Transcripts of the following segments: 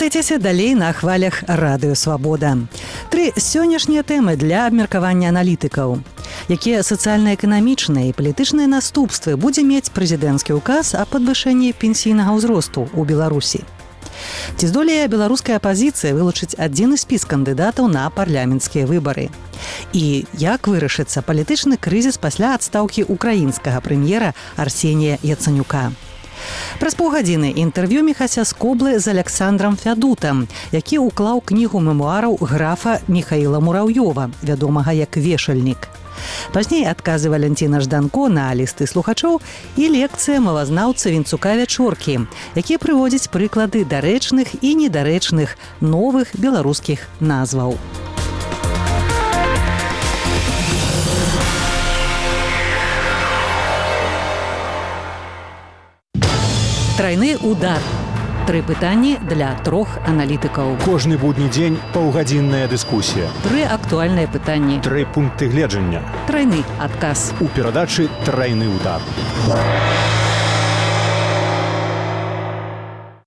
Рухайцеся далей на хвалях Радыё Свабода. 3 сённяшнія тэмы для абмеркавання аналітыкаў. Якія сацыяльна-эканамічныя і палітычныя наступствы будзе мець прэзідэнцкі ўказ о падвышэнні пенсійнага ўзросту ў Беларусі? Ці здолее беларуская апазіцыя вылучыць адзіны спіс кандыдатаў на парламенцкія выбары? І як вырашыцца палітычны крызіс пасля адстаўкі украінскага прэм'ера Арсенія Яцанюка? Праз паўгадзіны інтэрв'ю Міхася Скоблы з Александрам Фядутам, які ўклаў кнігу мемуараў графа Міхаіла Мураўёва, вядомага як Вешальнік. Пазней адказы Валянціна Жданко на лісты слухачоў і лекцыя мовазнаўца Вінцука Вячоркі, які прыводзіць прыклады дарэчных і недарэчных новых беларускіх назваў. Трайны удар. 3 пытанні для 3 аналітыкаў. Кожны будні дзень паўгадзінная дыскусія. 3 актуальныя пытанні. 3 пункты гледжання. Трайны адказ. У перадачы «Трайны удар».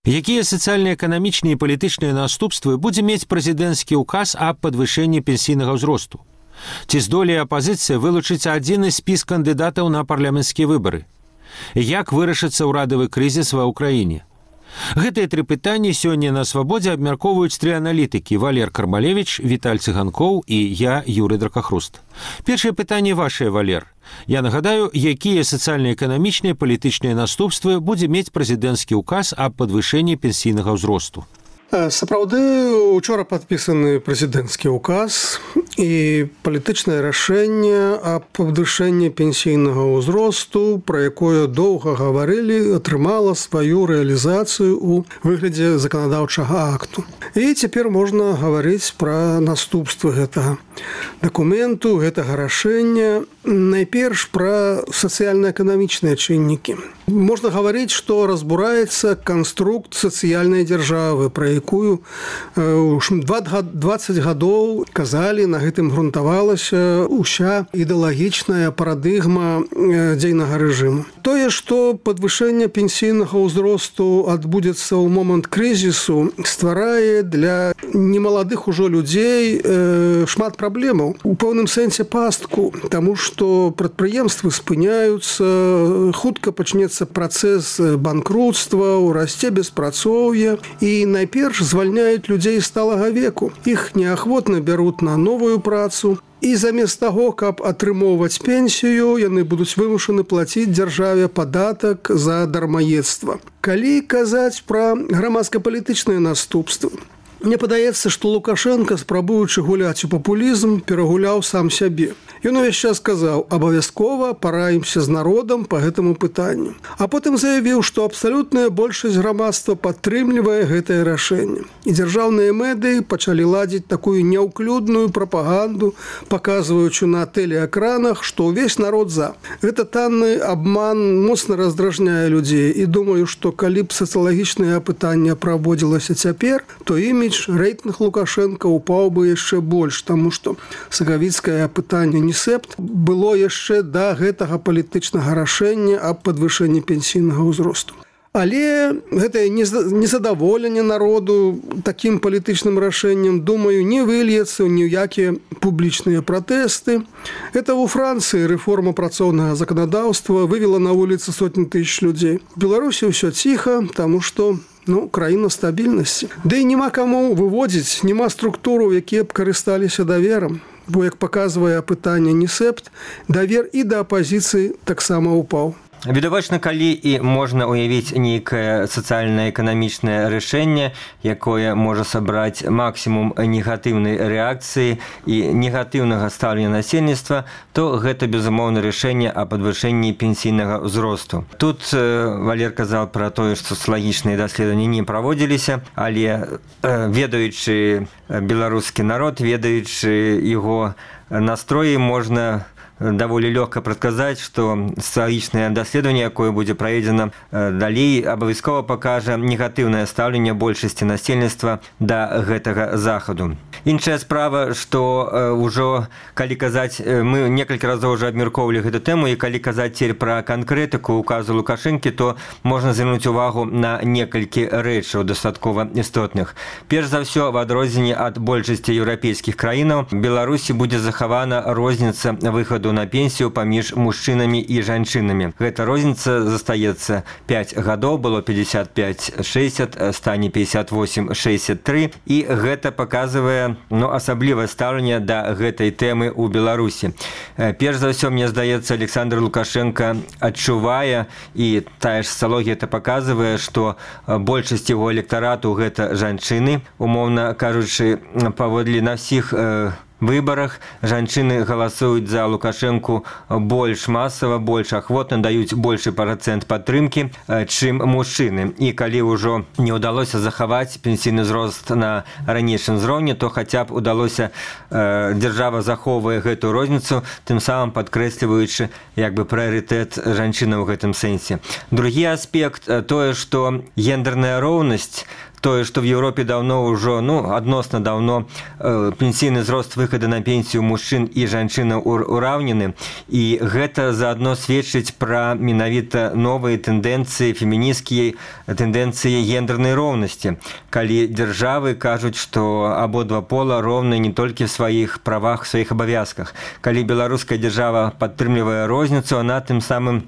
Якія сацыяльна-эканамічныя і палітычныя наступствы будзе мець прэзідэнцкі ўказ аб падвышэнні пенсійнага ўзросту? Ці здолее апазіцыя вылучыць адзіны спіс кандыдатаў на парламенцкія выбары? Як вырашыцца ўрадавы крызіс ва ўкраіне? Гэтыя 3 пытанні сёння на Свабодзе абмяркоўваюць 3 аналітыкі: Валер Кармалевіч, Віталь Цыганкоў і я, Юрый Дракахруст. Першае пытанне вашае, Валер. Я нагадаю, якія сацыяльна-эканамічныя палітычныя наступствы будзе мець прэзідэнцкі ўказ аб падвышэнні пенсійнага ўзросту. Сапраўды, учора падпісаны прэзідэнцкі ўказ і палітычнае рашэнне аб падвышэнні пенсійнага ўзросту, пра якое доўга гаварылі, атрымала сваю рэалізацыю ў выглядзе заканадаўчага акту. І цяпер можна гаварыць пра наступствы гэтага дакументу, гэтага рашэння. Найперш пра сацыяльна-эканамічныя чыннікі. Можна гаварыць, што разбураецца канструкт сацыяльнай дзяржавы, пра якую 20 гадоў казалі, на гэтым грунтавалася ўся ідэалагічная парадыгма дзейнага рэжыму. Тое, што падвышэнне пенсійнага ўзросту адбудзецца ў момант крызісу, стварае для немаладых ужо людзей шмат праблемаў. У пэўным сэнсе пастку, таму што прадпрыемствы спыняюцца, хутка пачнецца працэс банкрутства, расце беспрацоўе і найперш звальняюць людзей сталага веку. Іх неахвотна бяруць на новую працу. І замест таго, каб атрымоўваць пенсію, яны будуць вымушаны плаціць дзяржаве падатак за дармаедства. Калі казаць пра грамадска-палітычныя наступствы, мне падаецца, што Лукашенко, спрабуючы гуляць у папулізм, перагуляў сам сябе. Ён увесь час сказаў: абавязкова параімся з народам па гэтаму пытанню. А потым заявіў, што абсалютная большасць грамадства падтрымлівае гэтае рашэнне. І дзяржаўныя медыі пачалі ладзіць такую няўклюдную прапаганду, паказваючы на тэлеэкранах, што ўвесь народ за. Гэта танны абман моцна раздражняе людзей. І думаю, што калі б сацыялагічнае апытанне праводзілася цяпер, то імідж, рэйтынг Лукашенка упаў бы яшчэ больш, таму што сакавіцкае апытанне Несепт было яшчэ да гэтага палітычнага рашэння аб падвышэнні пенсійнага ўзросту. Але гэтае незадаволенне народу такім палітычным рашэннем, думаю, не выльецца ў ніякія публічныя пратэсты. Это ў Францыі рэформа працоўнага заканадаўства вывела на вуліцы сотні тысяч людзей. У Беларусі ўсё ціха, таму што краіна стабільнасці. Ды і няма каму выводзіць, няма структураў, якія б карысталіся даверам. Бо, як паказвае апытанне Несепт, давер і да апазіцыі таксама ўпаў. Відавочна, калі і можна уявіць нейкае сацыяльна-эканамічнае рашэнне, якое можа сабраць максімум негатыўнай рэакцыі і негатыўнага стаўлення насельніцтва, то гэта, безумоўна, рашэнне о падвышэнні пенсійнага ўзросту. Тут Валер казаў пра тое, што сацыялагічныя даследаванні не праводзіліся, але ведаючы беларускі народ, ведаючы яго настроі, можна даволі лёгка прадказаць, што сацыялагічнае даследаванне, якое будзе праведзена далей, абавязкова пакажа негатыўнае стаўленне большасці насельніцтва да гэтага захаду. Іншая справа, што ўжо калі казаць, мы некалькі разоў уже абмяркоўвалі гэту тэму, і калі казаць цяпер пра канкрэтыку указу Лукашэнкі, то можна звярнуць увагу на некалькі рэчаў дастаткова істотных. Перш за ўсё, в адрозненне ад большасці еўрапейскіх краінаў, Беларусі будзе захавана розніца выхаду на пенсію паміж мужчынамі і жанчынамі. Гэта розніца застаецца 5 гадоў, было 55-60, стане 58-63, і гэта паказвае асаблівае стаўленне да гэтай тэмы ў Беларусі. Перш за ўсё, мне здаецца, Александр Лукашенко адчувае, і тая ж сацыялогія это паказвае, што большасць яго электарату гэта жанчыны. Умоўна кажучы, паводле на ўсіх выбарах жанчыны галасуюць за Лукашэнку больш масава, больш ахвотна, даюць большы працэнт падтрымкі, чым мужчыны. І калі ўжо не ўдалося захаваць пенсійны ўзрост на ранейшым узроўні, то хаця б удалося, дзяржава захоўвае гэтую розніцу, тым самым падкрэсліваючы прыярытэт жанчынаў у гэтым сэнсе. Другі аспект тое, што гендерная роўнасць, тое, што в Еўропе даўно ўжо, адносна даўно пенсійны ўзрост выхаду на пенсію мужчын і жанчынаў ураўнены, і гэта заадно сведчыць пра менавіта новыя тэндэнцыі, фемінісцкія тэндэнцыі гендернай роўнасці. Калі дзяржавы кажуць, што абодва пола роўны не толькі в сваіх правах, сваіх абавязках. Калі беларуская дзяржава падтрымлівае розніцу, она тым самым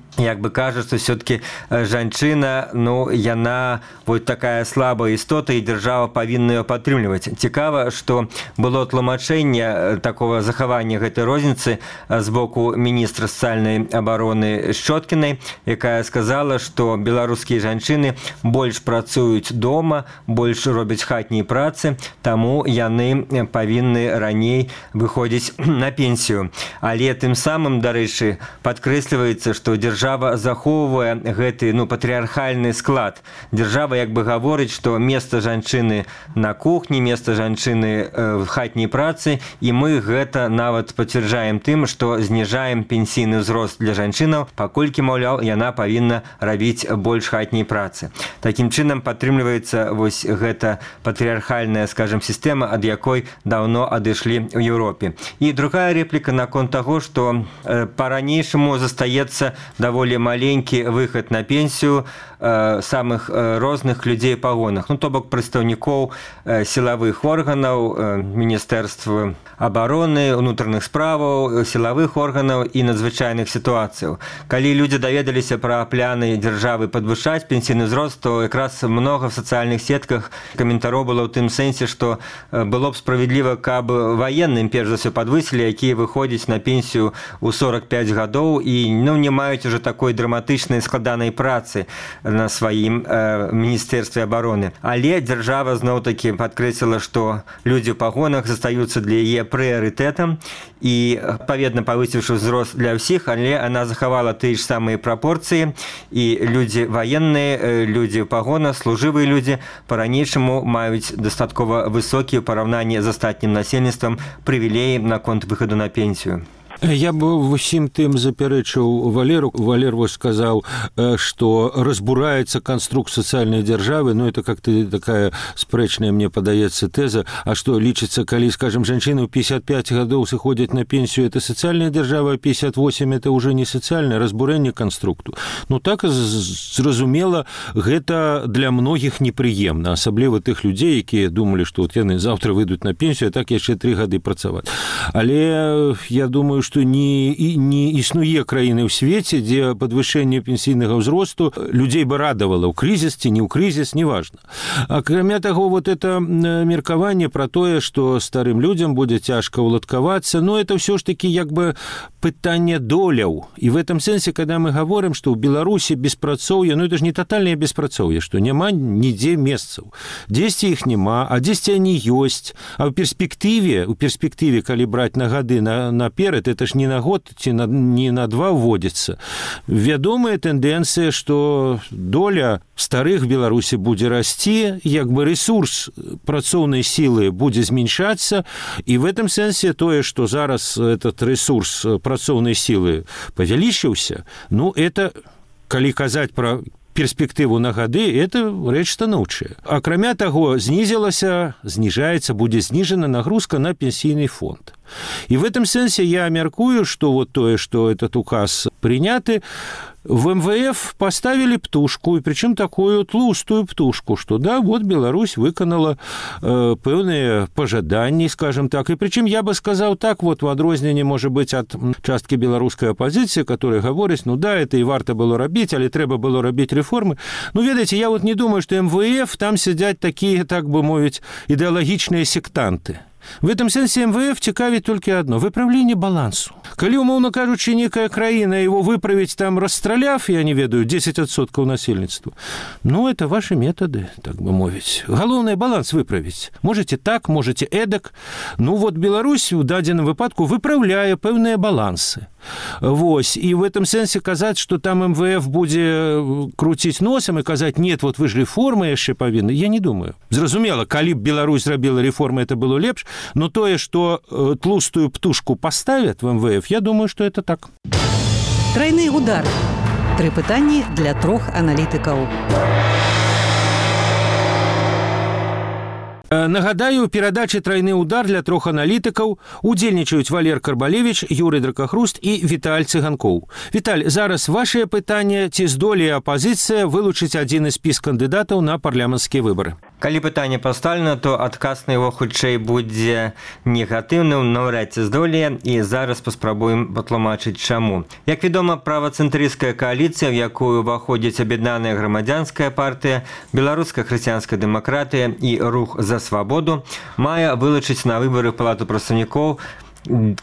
кажа, што все-таки жанчына, яна такая слабая істота, і дзяржава павінна яе падтрымліваць. Цікава, што было тлумачэнне такого захавання гэтай розніцы з боку міністра сацыяльнай абароны Шчоткінай, якая сказала, што беларускія жанчыны больш працуюць дома, больш робяць хатнія працы, таму яны павінны раней выходзіць на пенсію. Але тым самым, дарэчы, падкрэсліваецца, што дзяржава захоўвае гэты патрыархальны склад. Дзяржава гаворыць, што место жанчыны на кухні, место жанчыны в хатняй працы, і мы гэта нават пацвярджаем тым, што зніжаем пенсійны ўзрост для жанчынаў, паколькі, маўляў, яна павінна рабіць больш хатняй працы. Такім чынам падтрымліваецца вось гэта патрыархальная, сістэма, ад якой даўно адышлі ў Еўропе. І другая рэпліка наконт таго, што па-ранейшаму застаецца даволі маленькі выхад на пенсію самых розных людзей па пагонах, то бок прадстаўнікоў сілавых органаў, міністэрства абароны, унутраных справаў, сілавых органаў і надзвычайных сітуацыяў. Калі людзі даведаліся пра пляны дзяржавы падвышаць пенсійны ўзрост, то якраз многа в сацыяльных сетках каментароў было ў тым сэнсе, што было б справядліва, каб ваенным перш за ўсё падвысілі, якія выходзяць на пенсію ў 45 гадоў і не маюць уже такой драматычнай складанай працы на сваім міністэрстве абароны. Але дзяржава зноў-такі падкрэсліла, што людзі ў пагонах застаюцца для яе прыярытэтам і, адпаведна, павысіўшы ўзрост для ўсіх, але она захавала тыя ж самыя прапорцыі, і людзі ваенныя, людзі ў пагонах, служывыя людзі па-ранейшаму маюць дастаткова высокія ў параўнанні з астатнім насельніцтвам прывілеі наконт выхаду на пенсію. Я бы усім тым запярэчыў Валеру. Валер вось сказаў, што разбураецца канструкт сацыяльнай дзяржавы, это как-то такая спрэчная, мне падаецца, тэза, а што лічыцца, калі, скажем, жанчыны ў 55 гадоў сыходзяць на пенсію, это сацыяльная дзяржава, а 58 это уже не сацыяльнае разбурэнне канструкту. Так зразумела, гэта для многіх непрыемна, асабліва тых людзей, якія думалі, што яны заўтра выйдуць на пенсію, а так яшчэ 3 гады працаваць. Але я думаю, што не існуе краіны ў свеце, дзе падвышэнне пенсійнага ўзросту людзей бы радавала ў крызіс ці не ў крызіс, неважна. Акрамя таго, это меркаванне пра тое, што старым людзям будзе цяжка ўладкавацца, это ўсё ж такі пытанне доляў. І в этом сэнсе, когда мы гаворым, што ў Беларусі беспрацоўе, это ж не тотальнае беспрацоўе, што няма нідзе месцаў. Дзесьці іх няма, а дзесьці они ёсць. А ў перспектыве, калі браць на гады наперад, это ж не на год ці не на 2 вводзіцца. Вядомая тэндэнцыя, што доля старых Беларусі будзе расці, ресурс працоўнай сілы будзе зменшацца, і в этом сэнсе тое, што зараз этот ресурс працоўнай сілы павялічыўся, это, калі казаць пра перспектыву на гады, это рэч станоўчая. Акрамя таго, зніжаецца, будзе зніжана нагрузка на пенсійны фонд. И в этом сенсе я мяркую, что вот то, что этот указ приняты, в МВФ поставили птушку, и причем такую тлустую птушку, что да, вот Беларусь выканала пэўныя пожаданні, скажем так. И причем я бы сказал так, вот в адрозненне, может быть, от частки беларускай оппозиции, которые говорят, ну да, это и варто было рабіць, але трэба было рабіць реформы. Ну, ведаеце, я вот не думаю, что МВФ там сидят такие, так бы мовить, идеологичные сектанты. В этом сенсе МВФ цікавіць толькі адно – выправленне балансу. Калі, умоўна кажучы, некая краіна его выправіць там, расстраляв, я не ведаю, 10% насельніцтва, ну, это ваши методы, так бы мовіць. Галоўнае баланс выправіць. Можете так, можете эдак. Ну, вот Беларусь у дадзеным выпадку выправляе пэўныя балансы. Вось. И в этом сенсе казаць, что там МВФ будзе круціць носом и казаць, нет, вот вы ж реформы яшчэ павінны, я не думаю. Зразумела, калі б Беларусь зрабіла реформы, это было лепш, но тое, что тлустую птушку поставят в МВФ, я думаю, что это так. Тройны удар. 3 пытанні для 3 аналітыкаў. Нагадаю, у перадачы «Тройны удар» для 3 аналітыкаў удзельнічаюць Валер Карбалевич, Юрый Дракахруст і Віталь Цыганкоў. Віталь, зараз вашее пытанне, ці здолее апозіцыя вылучыць адзін з спіс кандыдатаў на парламенцкія выбары? Калі пытанне пастаўлена, то адказ на яго хутчэй будзе негатыўным, наўрад ці здолее, і зараз паспрабуем патлумачыць чаму. Як вядома, правацэнтрысцкая кааліцыя, в якую ўваходзіць Аб'яднаная грамадзянская партыя, Беларуская хрысціянская дэмакратыя і Рух за свабоду, мае вылучыць на выбары ў Палату прадстаўнікоў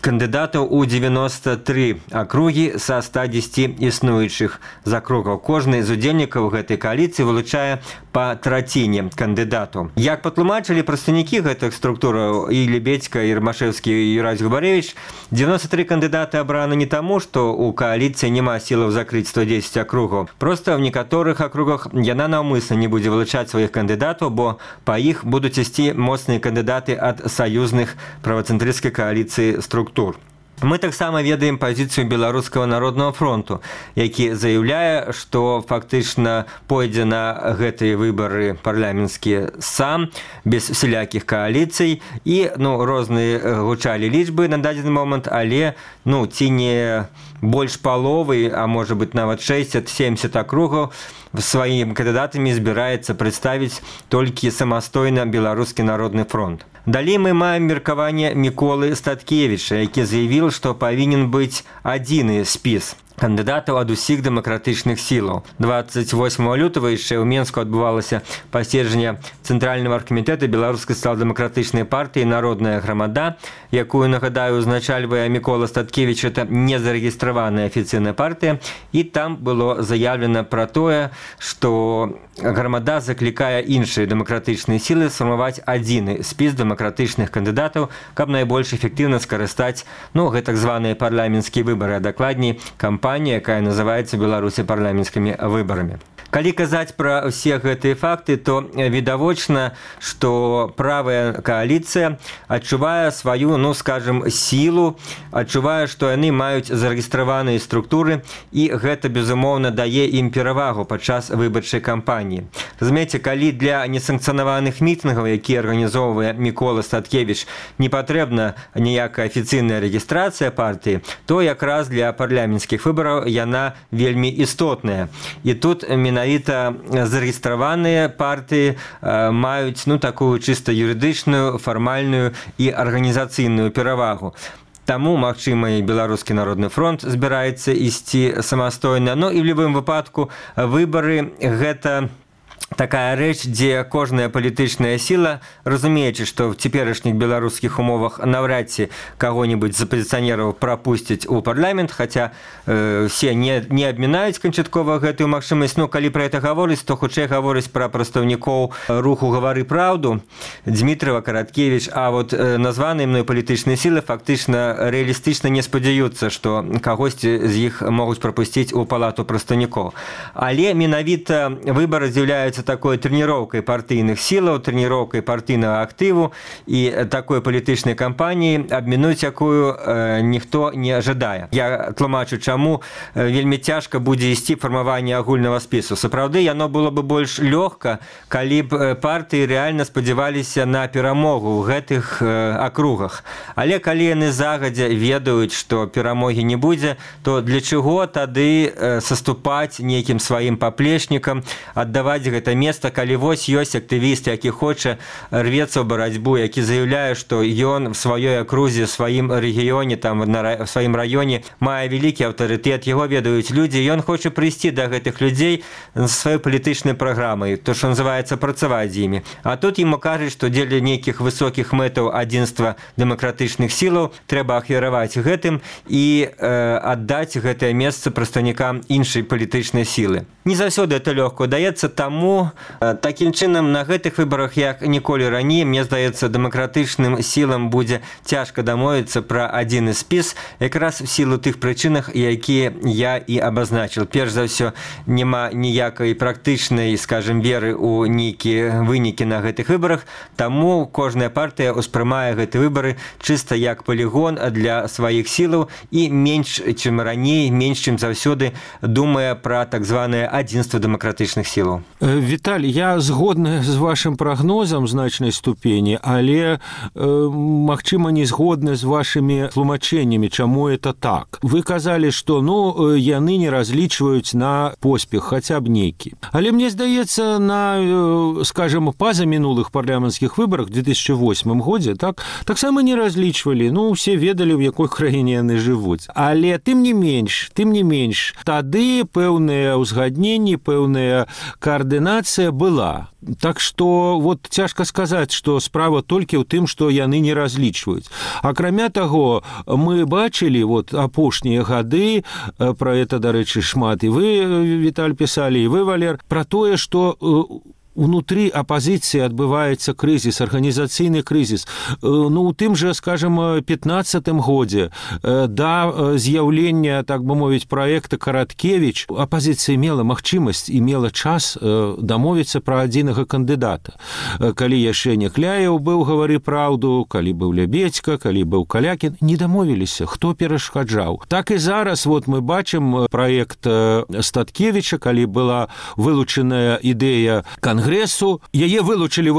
кандыдатаў у 93 акругі са 110 існуючых з акругаў. Кожны з удзельнікаў гэтай кааліцыі вылучае па траціне кандыдату. Як патлумачылі прадстаўнікі гэтых структураў і Лебедзька, і Рамашэўскі, і Юрась Губарэвіч, 93 кандыдаты абраны не таму, што у кааліцыі няма сілаў закрыць 110 акругаў. Проста ў некаторых акругах яна наўмысна не будзе вылучаць сваіх кандыдатаў, бо па іх будуць ісці моцныя кандыдаты ад саюзных правацэнтрысцкай кааліцыі структур. Мы таксама ведаем пазіцыю Беларускага народнага фронту, які заяўляе, што фактычна пойдзе на гэтыя выбары парламенцкія сам, без усялякіх кааліцый, і розныя гучалі лічбы на дадзены момант, але ці не больш паловы, а можа быць нават 60-70 акругаў сваімі кандыдатамі збіраецца прадставіць толькі самастойна Беларускі народны фронт. Далей мы маем меркаванне Міколы Статкевіча, які заявіў, што павінен быць адзіны спіс кандыдатаў ад усіх дэмакратычных сілаў. 28 лютага яшчэ ў Менску адбывалася паседжанне Цэнтральнага аргкамітэта Беларускай сацыял-дэмакратычнай партыі «Народная грамада», якую, нагадаю, узначальвае Мікола Статкевіч, это незарэгістраваная афіцыйная партыя, і там было заявлена пра тое, што грамада заклікае іншыя дэмакратычныя сілы сфармаваць адзіны спіс дэмакратычных кандыдатаў, каб найбольш эфектыўна скарыстаць гэтак званыя парламенцкія выбары, а дакладней кампанія, якая называецца Беларусі парламенцкімі выбарамі. Калі казаць пра ўсе гэтыя факты, то відавочна, што правая кааліцыя адчувае сваю, скажем, сілу, адчувае, што яны маюць зарэгістраваныя структуры, і гэта, безумоўна, дае ім перавагу падчас выбарчай кампаніі. Разумееце, калі для несанкцыянаваных мітынгаў, які арганізоўвае Мікола Статкевіч, не патрэбна ніякая афіцыйная рэгістрацыя партыі, то якраз для парламенцкіх выбараў яна вельмі істотная. І тут менавіта зарэгістраваныя партыі маюць такую чыста юрыдычную, фармальную і арганізацыйную перавагу. Таму, магчыма, і Беларускі народны фронт збіраецца ісці самастойна. І ў любым выпадку выбары гэта такая рэч, дзе кожная палітычная сіла, разумеючы, што в цяперашніх беларускіх умовах наўрад ці каго-небудзь з апазіцыянераў прапусцяць у парламент, хаця все не абмінаюць канчаткова гэтую магчымасць. Калі пра гэта гаворыць, то хутчэй гаворыць пра прадстаўнікоў руху «Гавары праўду», Дзмітрава, Караткевіч, а вот названыя мной палітычныя сілы фактычна рэалістычна не спадзяюцца, што кагосьці з іх могуць прапусціць у палату прадстаўнікоў. Але менавіта выбары з'яўляюцца з'яўляецца такой трэніроўкай партыйных сілаў, трэніроўкай партыйнага актыву і такой палітычнай кампаніі, абмінуць якую ніхто не жадае. Я тлумачу, чаму вельмі цяжка будзе ісці фармаванне агульнага спісу. Сапраўды, яно было бы больш лёгка, калі б партыі рэальна спадзяваліся на перамогу ў гэтых акругах. Але калі яны загадзя ведаюць, што перамогі не будзе, то для чаго тады саступаць нейкім сваім паплечнікам, аддаваць гэта месца, калі вось ёсць актывіст, які хоча рвецца ў барацьбу, які заяўляе, што ён в сваёй акрузе, в сваім рэгіёне, там, в сваім раёне мае вялікі аўтарытэт, яго ведаюць людзі, ён хоча прыйсці да гэтых людзей з сваёй палітычнай праграмай, то, што называецца, працаваць з імі. А тут ему кажуць, што дзеля нейкіх высокіх мэтаў адзінства дэмакратычных сілаў трэба ахвяраваць гэтым і аддаць гэтае месца прадстаўнікам іншай палітычнай сілы. Не заўсёды это лёгка даецца, таму такім чынам на гэтых выбарах, як ніколі раней, мне здаецца, дэмакратычным сілам будзе цяжка дамовіцца пра адзіны спіс, якраз в сілу тых прычынах, якія я і абазначыў. Перш за ўсё, няма ніякай практычнай, скажем, веры ў нейкія вынікі на гэтых выбарах, таму кожная партыя ўспрымае гэты выбары чыста як палігон для сваіх сілаў і менш, чым раней, менш, чым заўсёды думае пра так званае адзінства дэмакратычных сілаў. Віталь, я згодны з вашым прагнозам значнай ступені, але, магчыма, не згодны з вашымі тлумачэннямі, чаму это так. Вы казалі, што, яны не разлічваюць на поспех, хаця б нейкі. Але мне здаецца, на, скажем, пазамінулых парламенцкіх выбарах в 2008 годзе таксама не разлічвалі. Усе ведалі, у якой краіне яны жывуць. Але тым не менш, тады пэўныя ўзгадненні, пэўная коаардынацыя была. Так што вот цяжка сказаць, што справа толькі ў тым, што яны не разлічваюць. Акрамя таго, мы бачылі апошнія гады, пра это, дарэчы, шмат і вы, Віталь, пісалі, і вы, Валер, пра тое, што унутры апозіцыі адбываецца крызіс, арганізацыйны крызіс. У тым жа, скажем, 15-м годзе да з'яўлення, так бы мовіць, праекта Караткевіч, апозіцыя мела магчымасць і мела час дамовіцца пра адзінага кандыдата. Калі яшчэ Някляеў быў «Гавары праўду», калі быў Лябедзька, калі быў Калякін, не дамовіліся, хто перашкаджаў. Так і зараз мы бачым праект Статкевіча, калі была вылучаная ідэя Конгрессу, яе вылучылі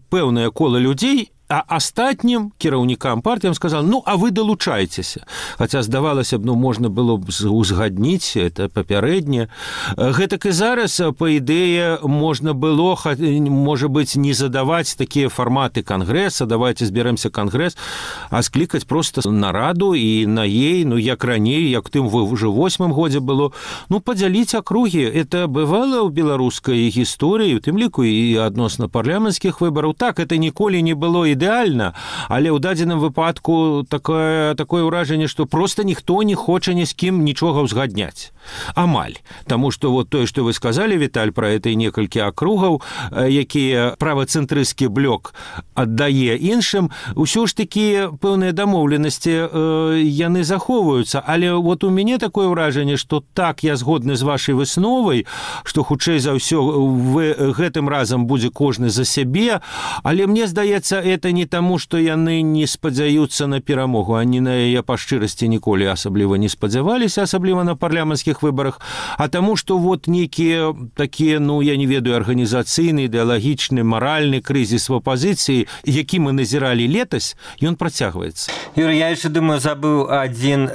пэўнае кола людзей, а астатнім кіраўнікам партыям сказал, а вы далучайцеся. Хаця, здавалася б, можна было б узгадніць, это папярэдне. Гэтак і зараз, па ідэе, можна было, можа быць, не задаваць такія фарматы Конгресса, давайте зберемся Конгресс, а склікаць проста нараду і на ей, як раней, як тым уже 8-м годзе было, падзяліць акругі. Это бывала ў беларускай гісторыі, у тым ліку і адносна парламенцкіх выбараў. Так, это ніколі не было ідэальна, але ў дадзеным выпадку такое ўражанне, што проста ніхто не хоча ні з кім нічога ўзгадняць. Амаль. Таму што тое, што вы сказалі, Віталь, пра это некалькі акругаў, якія правацэнтрысцкі блок аддае іншым, усё ж такі пэўныя дамоўленасці яны захоўваюцца. Але у мяне такое ўражанне, што так, я згодны з вашай высновай, што хутчэй за ўсё гэтым разам будзе кожны за сябе, але мне здаецца, это не таму, што яны не спадзяюцца на перамогу, они на яе па шчырасці ніколі асабліва не спадзяваліся, асабліва на парламенцкіх выбарах, а таму, што нейкія такія, я не ведаю, арганізацыйны, ідэалагічны, маральны крызіс в апозіцыі, які мы назіралі летась, ён працягваецца. Юрий, я яшчэ, думаю, забыў адзін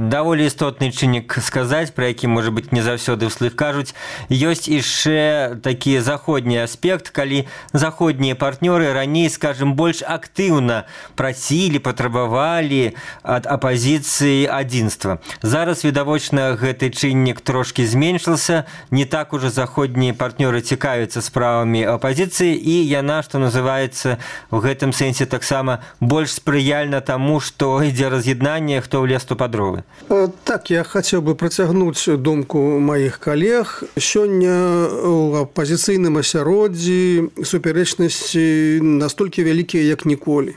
даволі істотны чыннік сказаць, пра які, можа быць, не заўсёды ўслых кажуць. Ёсць яшчэ такі заходні аспект, калі заходнія партнёры раней, скажем, больш актыўна прасілі, патрабавалі ад апозіцыі адзінства. Зараз, відавочна, гэты чыннік трошкі зменшыўся, не так ужо заходнія партнёры цікавяцца справамі апозіцыі, і яна, што называецца, в гэтым сэнсе таксама больш спрыяльна таму, што ідзе раз'яднанне, хто влез, то па дровы. Так, я хацеў бы працягнуць думку маіх калег. Сёння ў апозіцыйным асяроддзі супярэчнасці настолькі вялікія, як ніколі.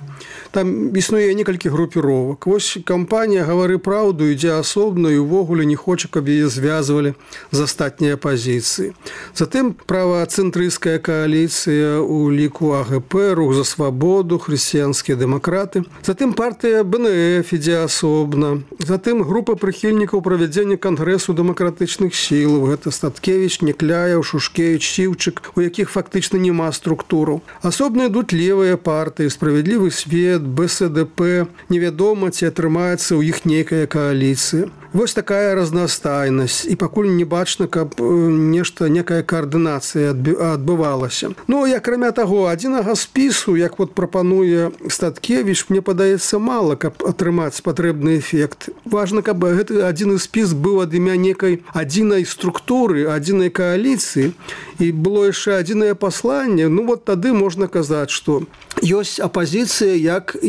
там існуе некалькі групіровак. Вось кампанія «Гавары праўду» ідзе асобна і ўвогуле не хоча, каб яе звязвалі з астатняй апазіцыі. Затым правацэнтрысцкая кааліцыя у ліку АГП, Рух за свабоду, хрысціянскія дэмакраты. Затым партыя БНФ ідзе асобна. Затым група прыхільнікаў правядзення кангрэсу дэмакратычных сілаў. Гэта Статкевіч, Некляев, Шушкевич, Сіўчык, у якіх фактычна няма структураў. Асобна ідуць левыя партыі, Справядлівы свет, БСДП. Невядома, ці атрымаецца ў іх нейкая кааліцыя. Вось такая разнастайнасць. І пакуль не бачна, каб некая каардынацыя адбывалася. Ну, і акрамя таго, адзінага спісу, як вот прапануе Статкевіч, мне падаецца мала, каб атрымаць патрэбны эфект. Важна, каб гэты адзіны спіс быў ад імя некай адзінай структуры, адзінай кааліцыі, і было яшчэ адзінае пасланне. Ну, вот тады можна казаць, што ёсць апазіцыя як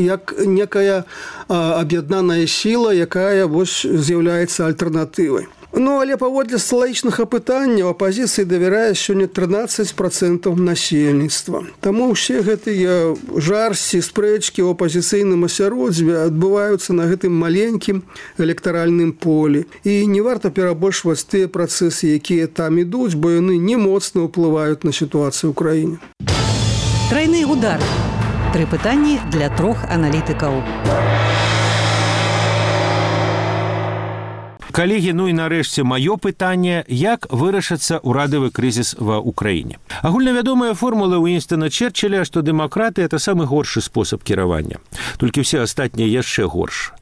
некая аб'яднаная сіла, якая вось з'яўляецца альтэрнатывай. Ну, але паводле сталічных апытанняў апазіцыі давярае сёння 13% насельніцтва. Таму ўсе гэтыя жарсці, спрэчкі ў апазіцыйным асяроддзі адбываюцца на гэтым маленькім электаральным полі. І не варта перабольшваць тыя працэсы, якія там ідуць, бо яны не моцна ўплываюць на сітуацыю ў краіне. Трайны удар. 3 пытанні для 3 аналітыкаў. Калегі, ну і нарэшце маё пытанне, як вырашыцца ўрадавы крызіс ва ўкраіне. Агульнавядомая формула Уінстона Черчилля, што дэмакраты – это самы горшы спосаб кіравання. Толькі ўсе астатнія яшчэ горш.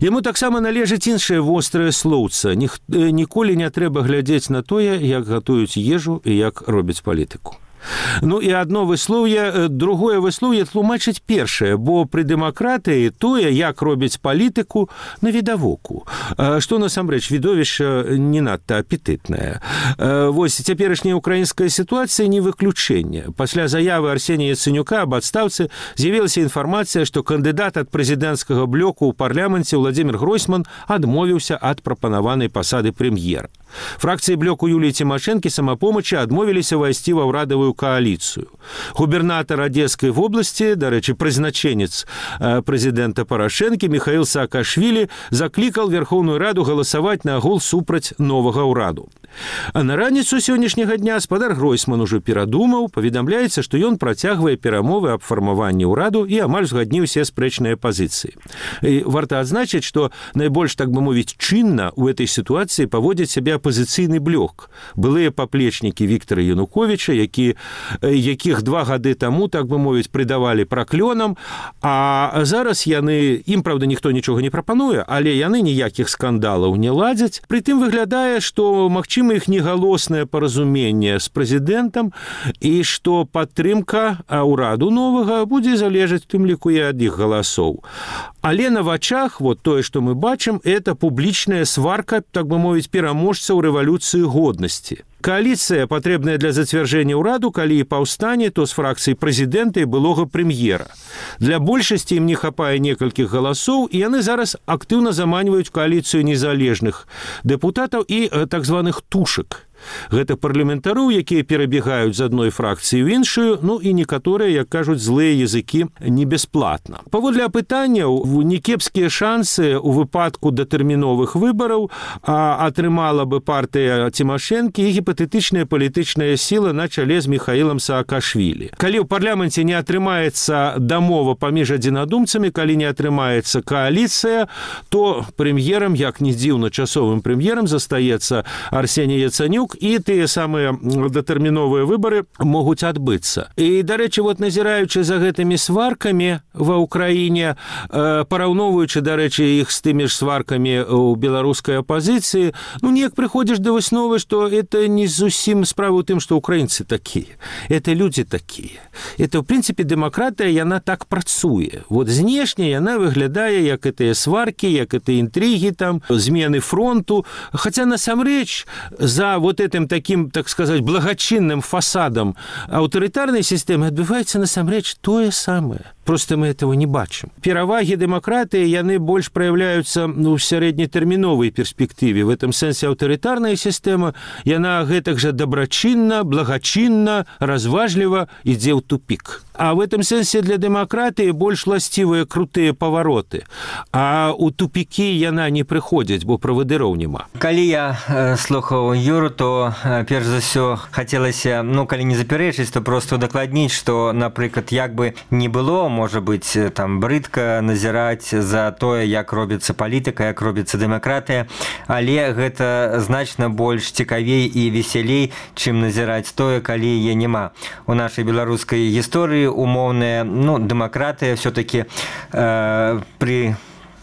Яму таксама належыць іншае вострае слоўца. Ніколі не трэба глядзець на тое, як гатуюць ежу і як робяць палітыку. Ну і одно выслоўе, другое выслоўе тлумачыць першае, бо пры дэмакратыі тое, як робяць палітыку, навідавоку. Што насамрэч відовішча не надта апетытнае. Вось цяперашняя украінская сітуацыя не выключэнне. Пасля заявы Арсенія Яцэнюка аб адстаўцы з'явілася інфармацыя, што кандыдат ад прэзідэнцкага блоку ў парламенце Владзімір Гройсман адмовіўся ад прапанаванай пасады прэм'ера. Фракцыі блоку Юліі Цімашэнкі «Самапомачы» адмовіліся ўвайсці ва ўрадавую кааліцыю. Губернатар Адзескай вобласці, дарэчы, прызначэнец прэзідэнта Парашэнкі Міхаіл Саакашвілі заклікаў Верхоўную Раду галасаваць на гол супраць новага ўраду. А на раніцу сённяшняга дня спадар Гройсман ужо перадумаў, паведамляецца, што ён працягвае перамовы аб фармаванні ўраду і амаль згадніў усе спрэчныя пазіцыі. І варта адзначыць, што найбольш, так бы мовіць, чынна ў этой сітуацыі паводзіць сябе апазіцыйны блок. Былыя паплечнікі Віктара Януковіча, якіх 2 гады таму, так бы мовіць, прыдавалі праклёнам, а зараз ім, правда, ніхто нічога не прапануе, але яны ніякіх скандалаў не ладзяць. Прытым выглядае, што магчыма іх негалоснае паразуменне з прэзідэнтам і што падтрымка ўраду новага будзе залежаць у тым ліку і ад іх галасоў. Але на вачах, вот тое, што мы бачым, это публічная сварка, так бы мовіць, пераможцаў рэвалюцыі годнасці. Кааліцыя, патрэбная для зацвярджэння ўраду, калі і паўстане, то з фракцыі прэзідэнта і былога прэм'ера. Для большасці ім не хапае некалькіх галасоў, і яны зараз актыўна заманьваюць кааліцыю незалежных дэпутатаў і так званых тушак. Гэта парламентароў, якія перабегаюць з адной фракцыі ў іншую, ну і некаторыя, як кажуць, злыя языкі не бясплатна. Паводле апытанняў, некепскія шансы ў выпадку датэрміновых выбараў атрымала бы партыя Цімашэнкі і гіпатэтычная палітычная сіла на чале з Міхаілам Саакашвілі. Калі ў парламенце не атрымаецца дамова паміж адзінадумцамі, калі не атрымаецца кааліцыя, то прэм'ерам, як ні дзіўна, часовым прэм'ерам застаецца Арсеній Яцэнюк, і тыя самыя датэрміновыя выбары могуць адбыцца. І, дарэчы, вот назіраючы за гэтымі сваркамі ва ўкраіне, параўноўваючы, дарэчы, іх з тымі ж сваркамі ў беларускай апазіцыі, ну, неяк прыходзіш да высновы, што это не зусім справа ў тым, што украінцы такія. Это людзі такія. Это, ў прынцыпе, дэмакратыя, яна так працуе. Вот знешне яна выглядае, як гэтыя сваркі, як гэтыя інтрыгі там, змены фронту. Хаця, насамрэч, за вот этим таким, так сказать, благочинным фасадом аўтарытарнай сістэмы адбываецца насамрэч тое самае. Просто мы этого не бачым. Перавагі дэмакратыі, яны больш праяўляюцца ў сярэднетэрміновай перспектыве. В этом сэнсе аўтарытарная сістэма, яна гэтак жа дабрачынна, благачынна, разважліва ідзе ў тупік. А в этом сэнсе для дэмакратыі больш власцівыя крутыя павароты. А ў тупікі яна не прыходзіць, бо правадыроў няма. Калі я слухаў Юру, то перш за ўсё хацелася, калі не запярэчыць, то просто удакладніць, што, напрыклад, як бы не было, можа быць, там брыдка назіраць за тое, як робіцца палітыка, як робіцца дэмакратыя, але гэта значна больш цікавей і весялей, чым назіраць тое, калі яе няма. У нашай беларускай гісторыі умоўная, дэмакратыя все-таки при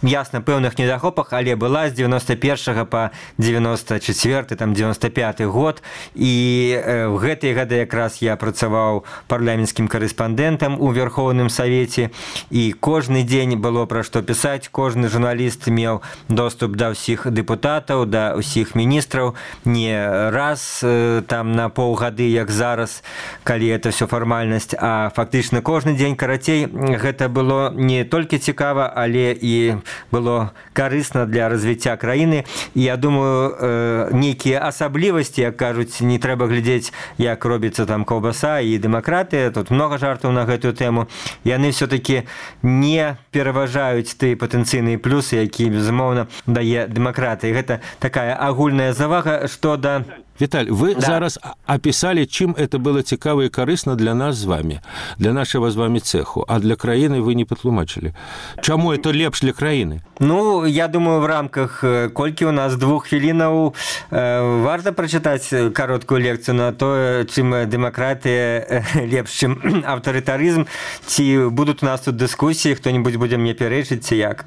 ясна пэўных недахопах, але была з 91 па 94, там 95 год, і в гэтыя гады якраз я працаваў парламенцкім карэспандэнтам у Верхоўным Савеце, і кожны дзень было пра што пісаць, кожны журналіст меў доступ да ўсіх дэпутатаў, да ўсіх міністраў, не раз там на паўгады, як зараз, калі это все фармальнасць, а фактычна кожны дзень. Карацей, гэта было не толькі цікава, але і было карысна для развіцця краіны. І я думаю, нейкія асаблівасці, як кажуць, не трэба глядзець, як робіцца там каўбаса і дэмакратыя, тут много жартаў на гэтую тэму, яны все-таки не пераважаюць тыя патэнцыйныя плюсы, якія, безумоўна, дае дэмакратыя. Гэта такая агульная завага, што да... Виталь, вы зараз описали, чим это было цікаво и корисно для нас с вами, для нашего с вами цеху, а для краины вы не потлумачили. Чому это лепш для краины? Я думаю, в рамках колькі у нас 2 хвілінаў варта прачытаць кароткую лекцыю на то, чым дэмакратыя лепш, чым аўтарытарызм, ці будуць у нас тут дыскусіі, хто-нибудь будзе мне пярэчыць, ці як?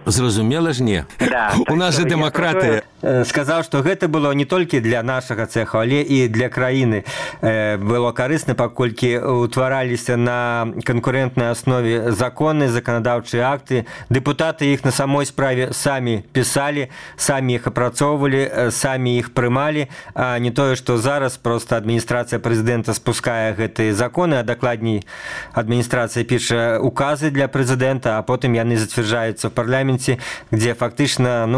Зразумела ж не. У нас же дэмакратыя. Сказаў, што гэта было не толькі для нашага цеха, але і для краіны. Было карысна, паколькі утвараліся на канкурэнтнай аснове законы, заканадаўчыя акты. Дэпутаты іх на самой справе самі пісалі, самі іх апрацоўвалі, самі іх прымалі, а не тое, што зараз проста адміністрацыя прэзідэнта спускае гэтыя законы, а дакладней адміністрацыя піша указы для прэзідэнта, а потым яны зацвярджаюцца в парламенце, дзе фактычна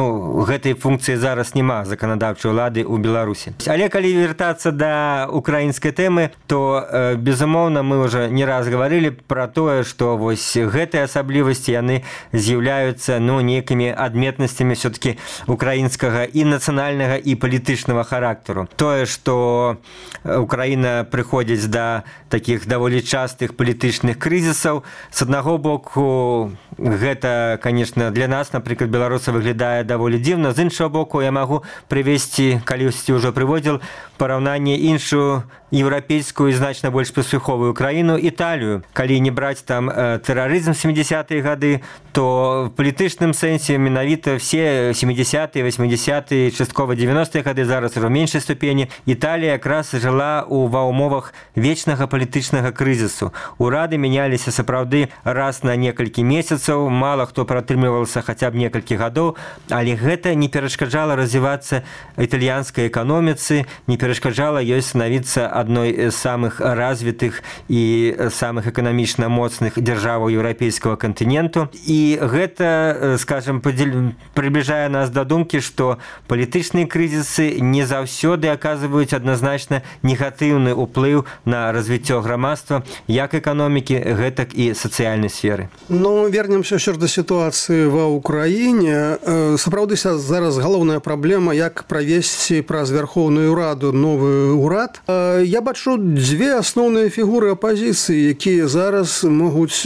гэтай функцыі зараз няма заканадаўчай улады ў Беларусі. Але калі вяртацца да украінскай тэмы, то, безумоўна, мы ўжо не раз гаварылі пра тое, што вось гэтыя асаблівасці, яны з'яўляюцца нейкімі адметнасцямі все-таки украінскага і нацыянальнага і палітычнага характару. Тое, што Украіна прыходзіць да такіх даволі частых палітычных крызісаў, з аднаго боку, гэта, конечно, для нас, напрыклад, беларуса, выглядае даволі дзіўна, з іншого боку, я магу прывесці, калісьці ўжо прыводзіл, параўнанне іншую еўрапейскую і значна больш паспяховую краіну, Італію. Калі не браць там тэрарызм 70-е гады, то в палітычным сэнсе менавіта все 70-е, 80-е, часткова 90-е гады, зараз ужо меншай ступені, Італія якраз жыла ва ўмовах вечнага палітычнага крызісу. Урады мяняліся сапраўды раз на некалькі месяцаў, мала хто пратрымліваўся хаця б некалькі гадоў, але гэта не перашкаджала развівацца італьянскай эканоміцы, не перашкаджала ёй станавіцца адной з самых развітых і самых эканамічна моцных дзяржаваў еўрапейскага кантыненту. І гэта, скажем, приближае нас да думкі, што палітычныя крызісы не заўсёды аказваюць адназначна негатыўны ўплыў на развіццё грамадства, як эканомікі, гэтак і сацыяльнай сферы. Вернемся ще до ситуації в Україні. Сапраўды зараз галоўная праблема, як правесці праз Верховную Раду новы урад. Я бачу дзве асноўныя фігуры апазіцыі, якія зараз могуць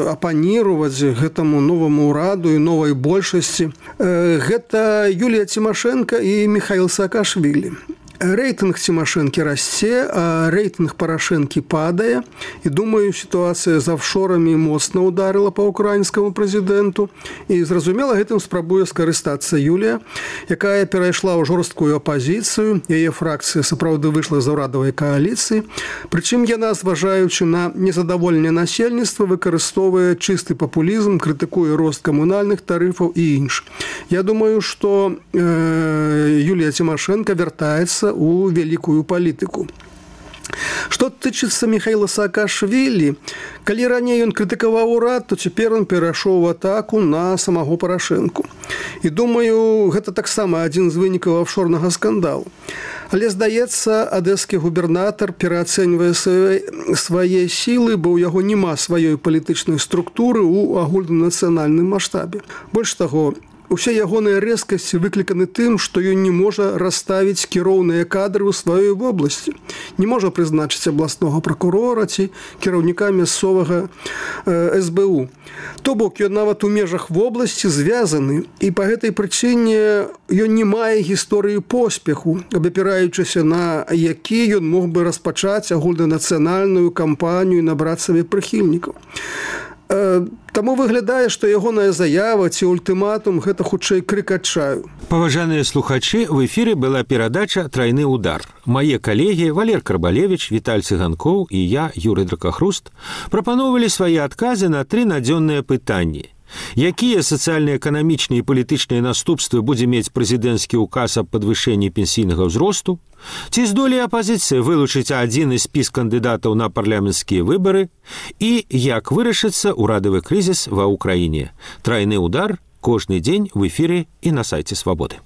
апаніруваць гэтаму новаму ураду і новай большасці. Гэта Юлія Тимошенко і Михаил Саакашвили. Рейтинг Тимошенко расце, а рейтинг Порошенко падае. І думаю, ситуація з офшорамі моцна ударила по украінскому президенту. І зразумела, гэтым спрабуе скарыстацца Юлія, якая перайшла ў жорсткую апозіцыю. Яе фракцыя сапраўды выйшла з урадавай кааліцыі. Прычым яна, зважаючы на незадаволенне насельніцтва, выкарыстоўвае чысты папулізм, крытыкуе рост камунальных тарыфаў і інш. Я думаю, што Юлія Тимошенко вяртаецца у вялікую палітыку. Што тычыцца Михаила Саакашвілі, калі раней ён крытыкаваў урад, то цяпер ён перайшоў у атаку на самого Парашэнку. І думаю, гэта таксама адзін з вынікаў офшорнага скандалу. Але, здаецца, адэскі губернатар пераацэньвае свае сілы, бо ў яго няма сваёй палітычнай структуры ў агульнанацыянальным маштабе. Больш таго, усе ягоныя рэзкасці выкліканы тым, што ён не можа расставіць кіроўныя кадры ў сваёй вобласці. Не можа прызначыць абласнога пракурора ці кіраўніка мясцовага СБУ. То бок, ён нават у межах вобласці звязаны, і па гэтай прычыне ён не мае гісторыі поспеху, абапіраючыся на які ён мог бы распачаць агульнанацыянальную кампанію і набраць сабе прыхільнікаў. Таму выглядае, што ягоная заява ці ультыматум гэта хутчэй крык адчаю. Паважаныя слухачы, в эфіры была перадача «Трайны удар». Мае калегі Валер Карбалевіч, Віталь Цыганкоў і я, Юрый Дракахруст, прапановвалі свае адказы на 3 надзённыя пытанні. Якія сацыяльна-эканамічныя і палітычныя наступствы будзе мець прэзідэнцкі ўказ аб падвышэнні пенсійнага ўзросту? Ці здолее апазіцыя вылучыць адзіны спіс кандыдатаў на парламенцкія выбары? І як вырашыцца ўрадавы крызіс ва ўкраіне? Трайны удар кожны дзень в эфіры і на сайце Свабоды.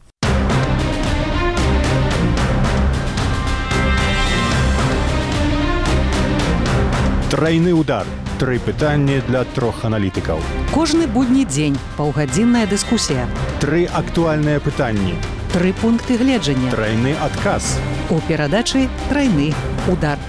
Трайны удар. 3 пытанні для 3 аналітыкаў. Кожны будні дзень паўгадзінная дыскусія. 3 актуальныя пытанні. 3 пункты гледжання. Трайны адказ. У перадачы «Трайны удар».